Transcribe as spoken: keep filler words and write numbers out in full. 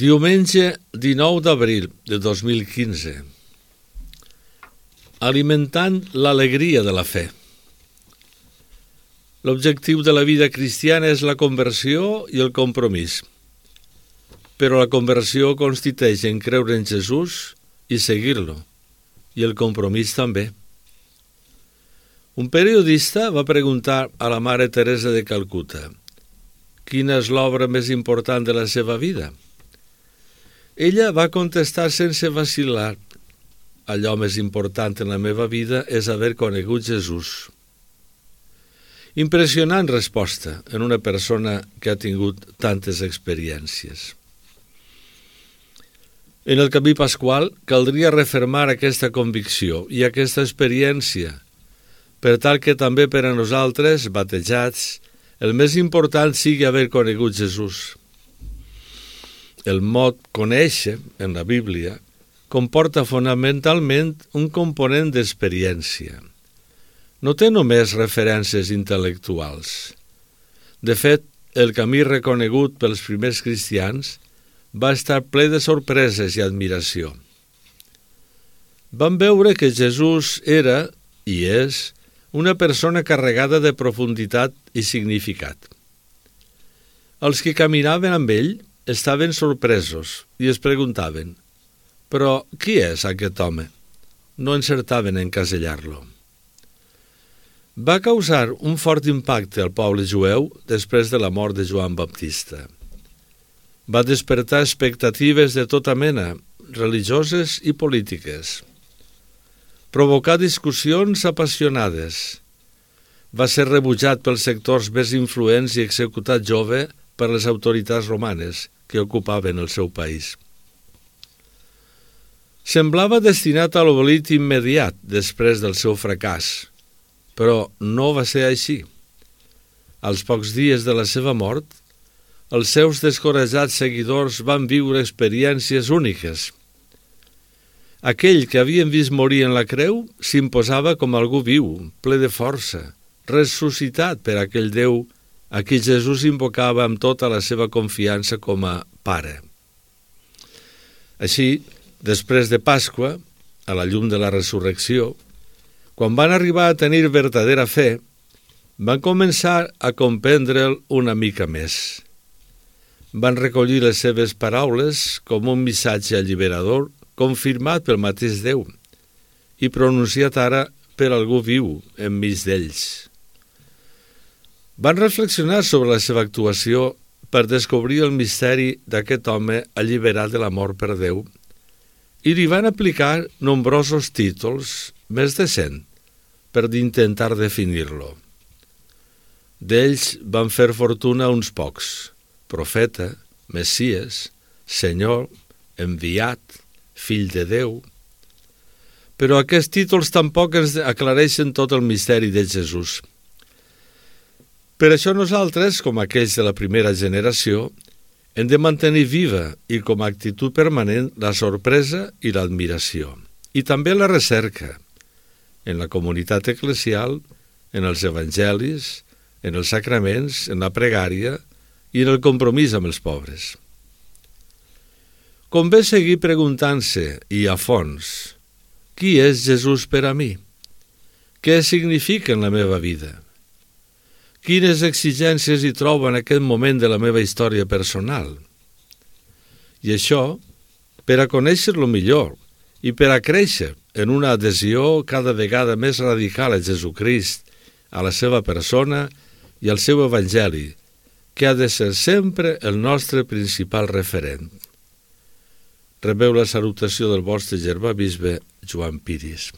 Diumenge dinou d'abril de dos mil quinze. Alimentant l'alegria de la fe. L'objectiu de la vida cristiana és la conversió i el compromís. Però la conversió consisteix en creure en Jesús i seguir-lo, i el compromís també. Un periodista va preguntar a la mare Teresa de Calcuta quina és l'obra més important de la seva vida. Ella va contestar sense vacil·lar: allò més important en la meva vida és haver conegut Jesús. Impressionant resposta en una persona que ha tingut tantes experiències. En el camí pasqual caldria refermar aquesta convicció i aquesta experiència, per tal que també per a nosaltres, batejats, el més important sigui haver conegut Jesús. El mot conèixer, en la Bíblia, comporta fonamentalment un component d'experiència. No té només referències intel·lectuals. De fet, el camí reconegut pels primers cristians va estar ple de sorpreses i admiració. Van veure que Jesús era, i és, una persona carregada de profunditat i significat. Els que caminaven amb ell estaven sorpresos i es preguntaven: però qui és aquest home? No encertaven en encasellar-lo. Va causar un fort impacte al poble jueu després de la mort de Joan Baptista. Va despertar expectatives de tota mena, religioses i polítiques. Provocà discussions apassionades. Va ser rebutjat pels sectors més influents i executat jove per les autoritats romanes que ocupaven el seu país. Semblava destinat a l'oblit immediat després del seu fracàs, però no va ser així. Als pocs dies de la seva mort, els seus descoratjats seguidors van viure experiències úniques. Aquell que havien vist morir en la creu s'imposava com algú viu, ple de força, ressuscitat per aquell Déu a qui Jesús invocava amb tota la seva confiança com a Pare. Així, després de Pasqua, a la llum de la resurrecció, quan van arribar a tenir verdadera fe, van començar a comprendre'l una mica més. Van recollir les seves paraules com un missatge alliberador confirmat pel mateix Déu i pronunciat ara per algú viu enmig d'ells. Van reflexionar sobre la seva actuació per descobrir el misteri d'aquest home alliberat de la mort per Déu i li van aplicar nombrosos títols, més de cent, per intentar definir-lo. D'ells van fer fortuna uns pocs: profeta, Messies, Senyor, enviat, fill de Déu. Però aquests títols tampoc ens aclareixen tot el misteri de Jesús. Per això nosaltres, com aquells de la primera generació, hem de mantenir viva i com a actitud permanent la sorpresa i l'admiració, i també la recerca, en la comunitat eclesial, en els evangelis, en els sacraments, en la pregària i en el compromís amb els pobres. Convé seguir preguntant-se, i a fons, qui és Jesús per a mi? Què significa en la meva vida? Quines exigències hi trobo en aquest moment de la meva història personal? I això, per a conèixer-lo millor i per a créixer en una adhesió cada vegada més radical a Jesucrist, a la seva persona i al seu evangeli, que ha de ser sempre el nostre principal referent. Rebeu la salutació del vostre germà bisbe Joan Piris.